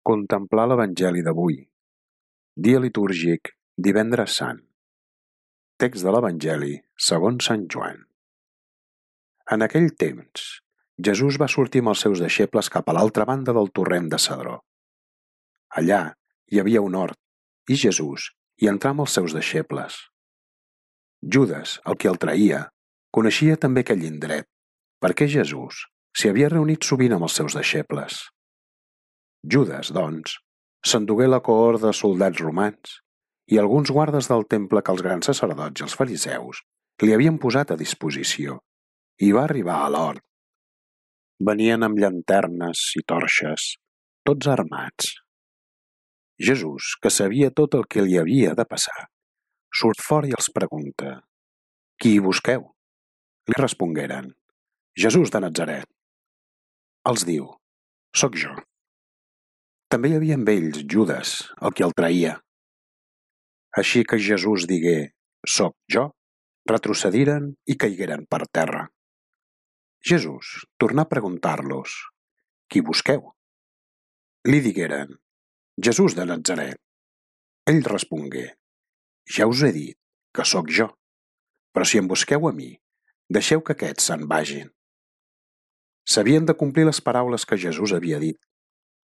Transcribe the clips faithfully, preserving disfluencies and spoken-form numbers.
Contemplar l'Evangeli d'avui. Dia litúrgic, divendres sant. Text de l'Evangeli segons Sant Joan. En aquell temps, Jesús va sortir amb els seus deixebles cap a l'altra banda del torrent de Cedró. Allà hi havia un hort, i Jesús hi entrà amb els seus deixebles. Judes, el que el traïa, coneixia també aquell indret, perquè Jesús s'hi havia reunit sovint amb els seus deixebles. Judes, doncs, s'endugué la cohort de soldats romans i alguns guardes del temple que els grans sacerdots i els fariseus li havien posat a disposició, i va arribar a l'hort. Venien amb llanternes i torxes, tots armats. Jesús, que sabia tot el que li havia de passar, surt fora i els pregunta: «Qui hi busqueu?» Li respongueren: «Jesús de Natzaret». Els diu: «Soc jo». També hi havia amb ells Judes, el que el traïa. Així que Jesús digué: «Soc jo», retrocediren i caigueren per terra. Jesús tornà a preguntar-los: «Qui busqueu?» Li digueren: «Jesús de Natzaret». Ell respongué: «Ja us he dit que sóc jo, però si em busqueu a mi, deixeu que aquests se'n vagin». S'havien de complir les paraules que Jesús havia dit: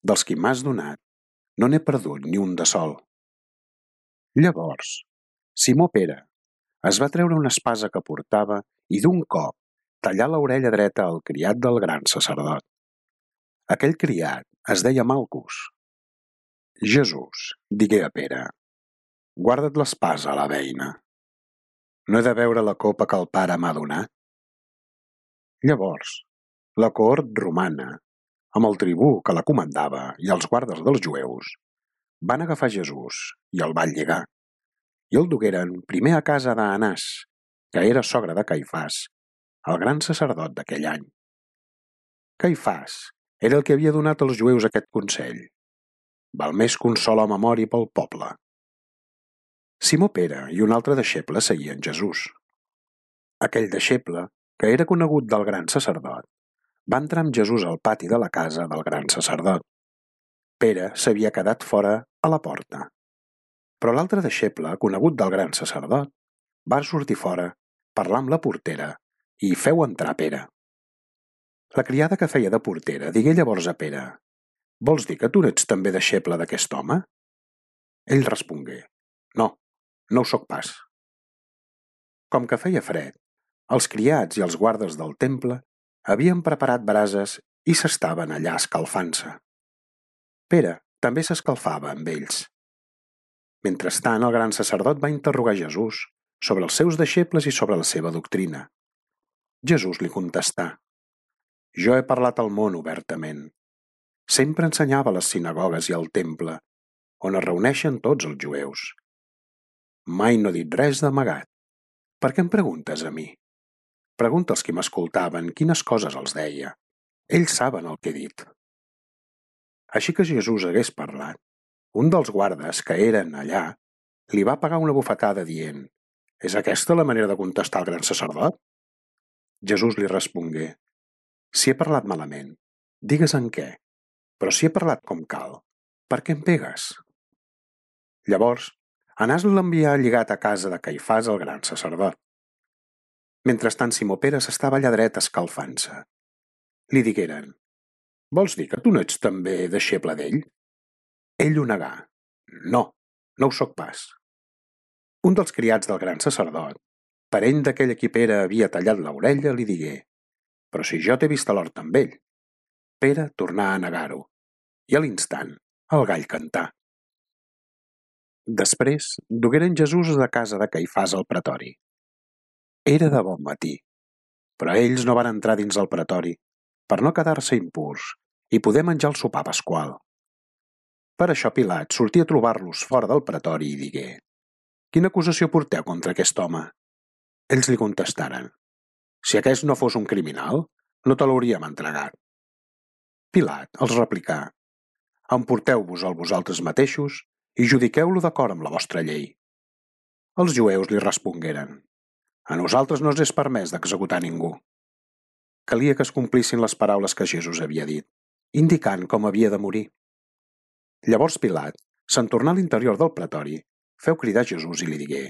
«Dels qui m'has donat, no n'he perdut ni un de sol». Llavors, Simó Pere es va treure una espasa que portava i d'un cop tallà l'orella dreta al criat del gran sacerdot. Aquell criat es deia Malcus. Jesús digué a Pere: «Guarda't l'espasa a la beina. No he de beure la copa que el Pare m'ha donat?» Llavors, la cohort romana, amb el tribú que la comandava i els guardes dels jueus, van agafar Jesús i el van lligar, i el dugueren primer a casa d'Anàs, que era sogre de Caifàs, el gran sacerdot d'aquell any. Caifàs era el que havia donat als jueus aquest consell: «Val més que un sol home mori pel poble». Simó Pere i un altre deixeble seguien Jesús. Aquell deixeble, que era conegut del gran sacerdot, va entrar amb Jesús al pati de la casa del gran sacerdot. Pere s'havia quedat fora a la porta. Però l'altre deixeble, conegut del gran sacerdot, va sortir fora, parlar amb la portera i feu entrar Pere. La criada que feia de portera digué llavors a Pere: «Vols dir que tu n'ets també deixeble d'aquest home?» Ell respongué: «No, no ho soc pas». Com que feia fred, els criats i els guardes del temple havien preparat brases i s'estaven allà escalfant-se. Pere també s'escalfava amb ells. Mentrestant, el gran sacerdot va interrogar Jesús sobre els seus deixebles i sobre la seva doctrina. Jesús li contestà: «Jo he parlat al món obertament. Sempre ensenyava a les sinagogues i al temple, on es reuneixen tots els jueus. Mai no he dit res d'amagat. Per què em preguntes a mi? Pregunta als qui m'escoltaven quines coses els deia. Ells saben el que he dit». Així que Jesús hagués parlat, un dels guardes que eren allà li va pegar una bufetada dient: «És aquesta la manera de contestar al gran sacerdot?» Jesús li respongué: «Si he parlat malament, digues en què, però si he parlat com cal, per què em pegues?» Llavors, Anàs l'envià lligat a casa de Caifàs, el gran sacerdot. Mentrestant, Simó Pere s'estava allà dret escalfant-se. Li digueren: «Vols dir que tu no ets també deixeble d'ell?» Ell ho negà: «No, no ho soc pas». Un dels criats del gran sacerdot, parent d'aquell a qui Pere havia tallat l'orella, li digué: «Però si jo t'he vist a l'hort amb ell». Pere tornà a negar-ho, i a l'instant el gall cantà. Després dugueren Jesús de casa de Caifàs al pretori. Era de bon matí, però ells no van entrar dins el pretori per no quedar-se impurs i poder menjar el sopar pasqual. Per això Pilat sortí a trobar-los fora del pretori i digué: «Quina acusació porteu contra aquest home?» Ells li contestaren: «Si aquest no fos un criminal, no te l'hauríem entregat». Pilat els replicà: «Emporteu-vos-el vosaltres mateixos i judiqueu-lo d'acord amb la vostra llei». Els jueus li respongueren: «A nosaltres no ens és permès d'executar ningú». Calia que es complissin les paraules que Jesús havia dit, indicant com havia de morir. Llavors Pilat, se'n tornà a l'interior del pretori, feu cridar Jesús i li digué: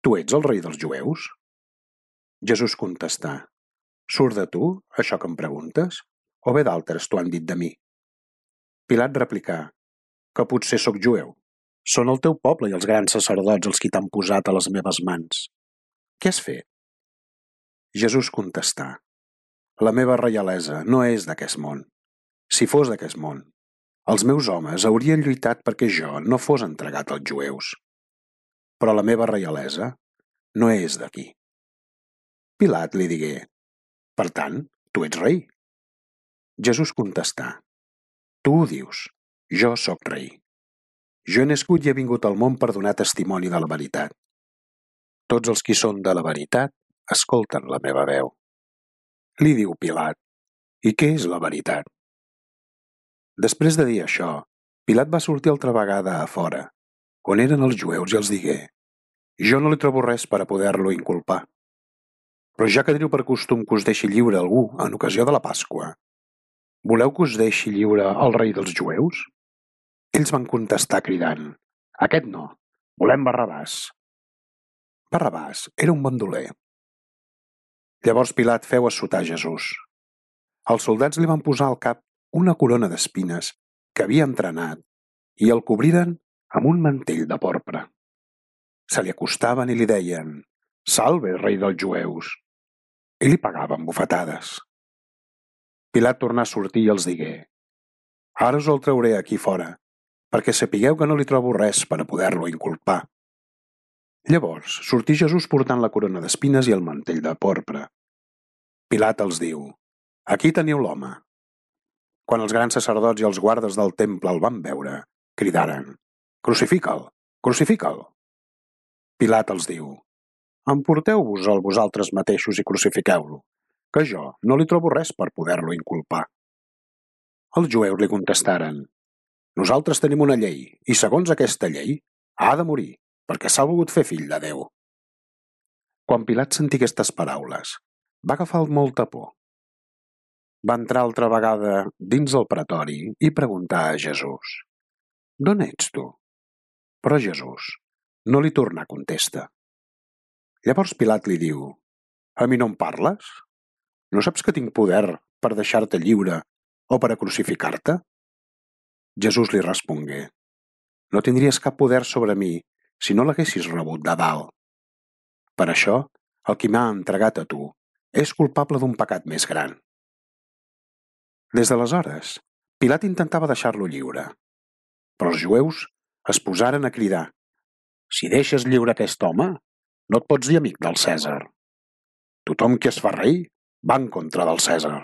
Tu ets el rei dels jueus? Jesús contestà: Surt de tu, això que em preguntes, o bé d'altres t'ho han dit de mi? Pilat replicà: Que potser sóc jueu. Són el teu poble i els grans sacerdots els qui t'han posat a les meves mans. Què has fet? Jesús contestà: La meva reialesa no és d'aquest món. Si fos d'aquest món, els meus homes haurien lluitat perquè jo no fos entregat als jueus. Però la meva reialesa no és d'aquí. Pilat li digué: Per tant, tu ets rei. Jesús contestà: Tu ho dius, jo sóc rei. Jo he nascut i he vingut al món per donar testimoni de la veritat. Tots els qui són de la veritat escolten la meva veu. Li diu Pilat: I què és la veritat? Després de dir això, Pilat va sortir altra vegada a fora, on eren els jueus, i els digué: Jo no li trobo res per a poder-lo inculpar. Però ja que teniu per costum que us deixi lliure algú en ocasió de la Pasqua, voleu que us deixi lliure el rei dels jueus? Ells van contestar cridant: Aquest no, volem Barrabàs. Barrabàs era un bandoler. Llavors Pilat feu assotar Jesús. Els soldats li van posar al cap una corona d'espines que havia entrenat i el cobriren amb un mantell de porpra. Se li acostaven i li deien: Salve, rei dels jueus! I li pagaven bufetades. Pilat tornà a sortir i els digué: Ara us el trauré aquí fora, perquè sapigueu que no li trobo res per a poder-lo inculpar. Llavors sortí Jesús portant la corona d'espines i el mantell de porpra. Pilat els diu: Aquí teniu l'home. Quan els grans sacerdots i els guardes del temple el van veure, cridaren: Crucifica'l, crucifica'l. Pilat els diu: Emporteu-vos-el vosaltres mateixos i crucifiqueu-lo, que jo no li trobo res per poder-lo inculpar. Els jueus li contestaren: Nosaltres tenim una llei, i segons aquesta llei ha de morir, perquè s'ha volgut fer fill de Déu. Quan Pilat sentí aquestes paraules, va agafar molta por. Va entrar altra vegada dins el pretori i preguntar a Jesús: D'on ets tu? Però Jesús no li tornà contesta. Llavors Pilat li diu: A mi no em parles? No saps que tinc poder per deixar-te lliure o per a crucificar-te? Jesús li respongué: No tindries cap poder sobre mi si no l'haguessis rebut de dalt. Per això, el qui m'ha entregat a tu és culpable d'un pecat més gran. Des d'aleshores, Pilat intentava deixar-lo lliure, però els jueus es posaren a cridar: Si deixes lliure aquest home, no et pots dir amic del Cèsar. Tothom qui es fa rei va en contra del Cèsar.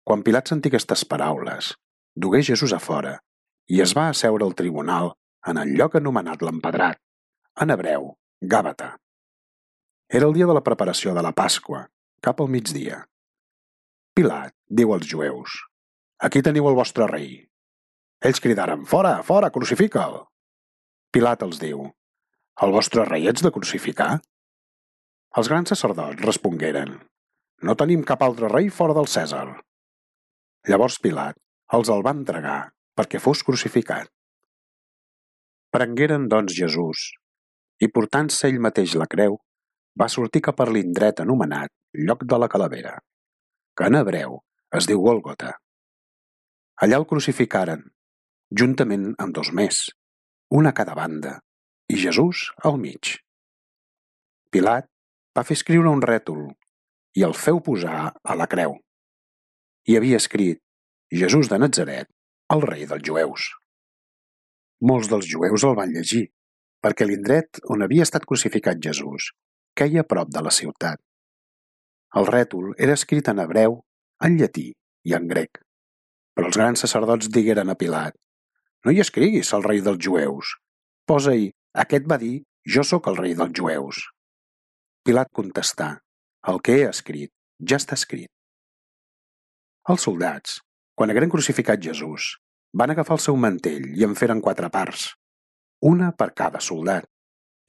Quan Pilat sentí aquestes paraules, dugué Jesús a fora i es va asseure al tribunal en el lloc anomenat l'Empedrat, en hebreu, Gàbata. Era el dia de la preparació de la Pasqua, cap al migdia. Pilat diu als jueus: Aquí teniu el vostre rei. Ells cridaren: Fora, fora, crucifica'l! Pilat els diu: El vostre rei ets de crucificar? Els grans sacerdots respongueren: No tenim cap altre rei fora del Cèsar. Llavors Pilat els el va entregar perquè fos crucificat. Prengueren doncs Jesús i, portant-se ell mateix la creu, va sortir cap a l'indret anomenat Lloc de la Calavera, que en hebreu es diu Gòlgota. Allà el crucificaren, juntament amb dos més, un a cada banda, i Jesús al mig. Pilat va fer escriure un rètol i el feu posar a la creu. Hi havia escrit: Jesús de Natzaret, el rei dels jueus. Molts dels jueus el van llegir, perquè l'indret on havia estat crucificat Jesús queia a prop de la ciutat. El rètol era escrit en hebreu, en llatí i en grec. Però els grans sacerdots digueren a Pilat: No hi escriguis el rei dels jueus. Posa-hi: Aquest va dir: Jo sóc el rei dels jueus. Pilat contestà: El que he escrit ja està escrit. Els soldats, quan hagueren crucificat Jesús, van agafar el seu mantell i en feren quatre parts, una per cada soldat,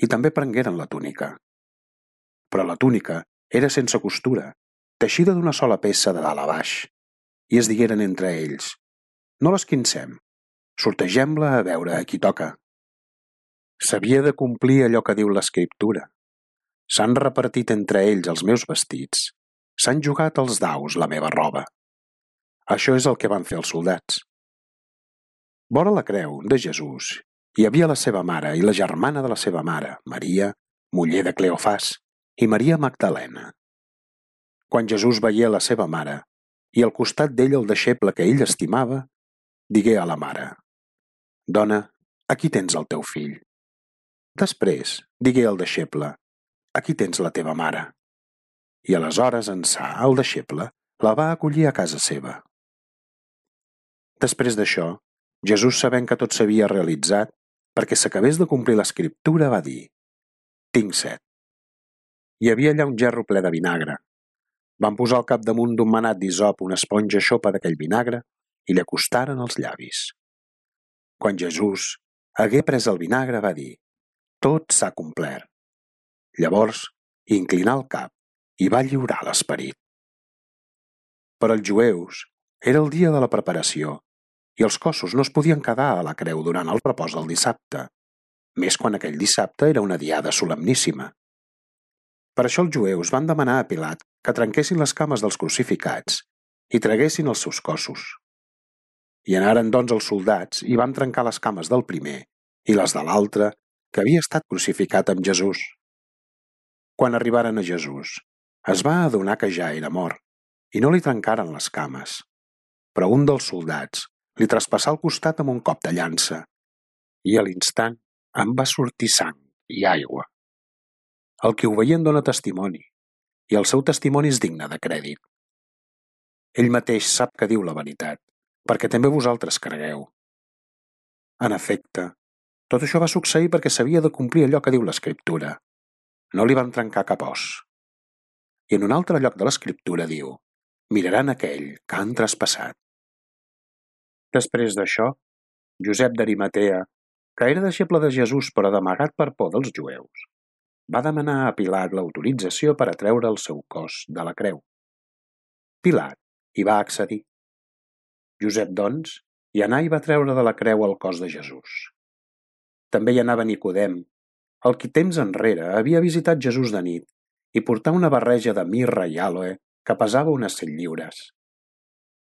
i també prengueren la túnica. Però la túnica era sense costura, teixida d'una sola peça de dalt a baix, i es digueren entre ells: No l'esquincem, Sortegem-la a veure a qui toca. S'havia de complir allò que diu l'escriptura. S'han repartit entre ells els meus vestits. S'han jugat els daus la meva roba. Això és el que van fer els soldats. Vora la creu de Jesús hi havia la seva mare i la germana de la seva mare, Maria, muller de Cleofàs, i Maria Magdalena. Quan Jesús veié la seva mare i al costat d'ell el deixeble que ell estimava, digué a la mare: «Dona, aquí tens el teu fill». Després digué al deixeble: «Aquí tens la teva mare». I aleshores ençà el deixeble la va acollir a casa seva. Després d'això, Jesús, sabent que tot s'havia realitzat, perquè s'acabés de complir l'escriptura, va dir: «Tinc set». Hi havia allà un gerro ple de vinagre. Van posar al capdamunt d'un manat d'hisop una esponja xopa d'aquell vinagre i li acostaren els llavis. Quan Jesús hagué pres el vinagre, va dir: «Tot s'ha complert». Llavors inclinà el cap i va lliurar l'esperit. Per als jueus era el dia de la preparació i els cossos no es podien quedar a la creu durant el repòs del dissabte, més quan aquell dissabte era una diada solemníssima. Per això els jueus van demanar a Pilat que trenquessin les cames dels crucificats i traguessin els seus cossos. I anaren doncs els soldats i van trencar les cames del primer i les de l'altre que havia estat crucificat amb Jesús. Quan arribaren a Jesús, es va adonar que ja era mort i no li trencaren les cames, però un dels soldats li traspassà el costat amb un cop de llança i a l'instant en va sortir sang i aigua. El que ho veient dona testimoni i el seu testimoni és digne de crèdit. Ell mateix sap que diu la veritat, perquè també vosaltres cregueu. En efecte, tot això va succeir perquè s'havia de complir allò que diu l'Escriptura. No li van trencar cap os. I en un altre lloc de l'Escriptura diu: «Miraran aquell que han traspassat». Després d'això, Josep d'Arimatea, que era deixeble de Jesús però d'amagat per por dels jueus, va demanar a Pilat l'autorització per a treure el seu cos de la creu. Pilat hi va accedir. Josep, doncs, hi anà i va treure de la creu el cos de Jesús. També hi anava Nicodem, el qui temps enrere havia visitat Jesús de nit i portà una barreja de mirra i àloe que pesava unes cent lliures.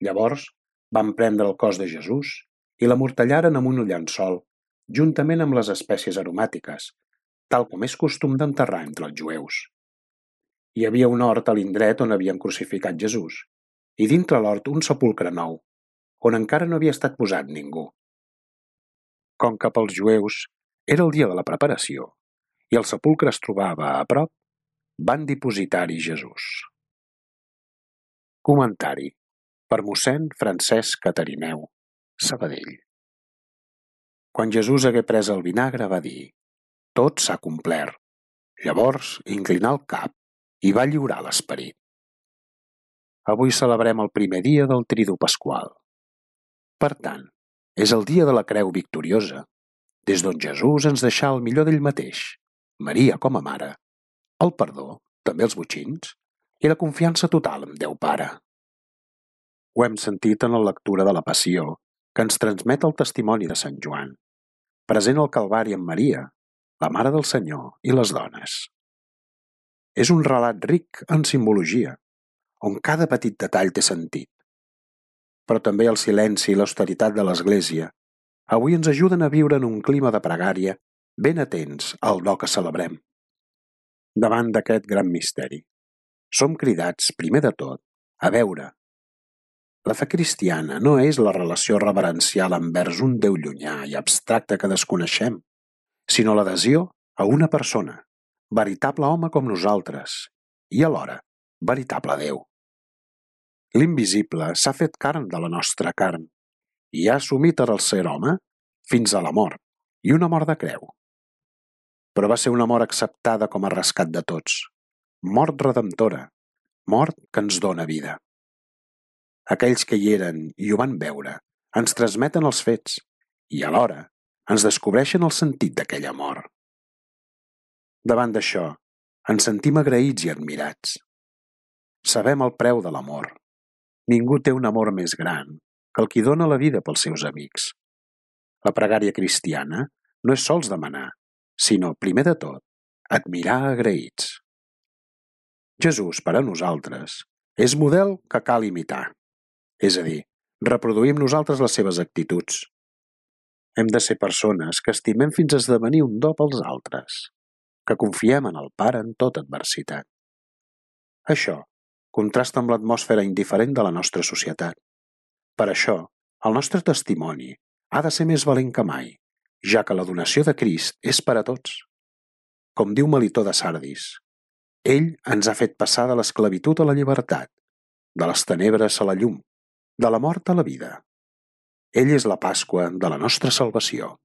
Llavors van prendre el cos de Jesús i l'amortallaren amb un llençol, juntament amb les espècies aromàtiques, tal com és costum d'enterrar entre els jueus. Hi havia un hort a l'indret on havien crucificat Jesús, i dintre l'hort un sepulcre nou, on encara no havia estat posat ningú. Com que pels jueus era el dia de la preparació i el sepulcre es trobava a prop, van dipositar-hi Jesús. Comentari per mossèn Francesc Catarineu, Sabadell. Quan Jesús hagué pres el vinagre va dir: «Tot s'ha complert». Llavors inclinà el cap i va lliurar l'esperit. Avui celebrem el primer dia del Tridu Pasqual. Per tant, és el dia de la creu victoriosa, des d'on Jesús ens deixà el millor d'ell mateix, Maria com a mare, el perdó, també els botxins, i la confiança total en Déu Pare. Ho hem sentit en la lectura de la Passió, que ens transmet el testimoni de Sant Joan, present al Calvari amb Maria, la Mare del Senyor i les dones. És un relat ric en simbologia, on cada petit detall té sentit. Però també el silenci i l'austeritat de l'Església avui ens ajuden a viure en un clima de pregària ben atents al do que celebrem. Davant d'aquest gran misteri, som cridats, primer de tot, a veure. La fe cristiana no és la relació reverencial envers un Déu llunyà i abstracte que desconeixem, sinó l'adhesió a una persona, veritable home com nosaltres, i alhora veritable Déu. L'invisible s'ha fet carn de la nostra carn i ha assumit el ser home fins a la mort, i una mort de creu. Però va ser una mort acceptada com a rescat de tots, mort redemptora, mort que ens dóna vida. Aquells que hi eren i ho van veure ens transmeten els fets i alhora ens descobreixen el sentit d'aquella mort. Davant d'això, ens sentim agraïts i admirats. Sabem el preu de l'amor. Ningú té un amor més gran que el qui dona la vida pels seus amics. La pregària cristiana no és sols demanar, sinó, primer de tot, admirar agraïts. Jesús, per a nosaltres, és model que cal imitar. És a dir, reproduir amb nosaltres les seves actituds. Hem de ser persones que estimem fins a esdevenir un do pels altres, que confiem en el Pare en tota adversitat. Això contrasta amb l'atmosfera indiferent de la nostra societat. Per això, el nostre testimoni ha de ser més valent que mai, ja que la donació de Crist és per a tots. Com diu Melitó de Sardis, ell ens ha fet passar de l'esclavitud a la llibertat, de les tenebres a la llum, de la mort a la vida. Ell és la Pasqua de la nostra salvació.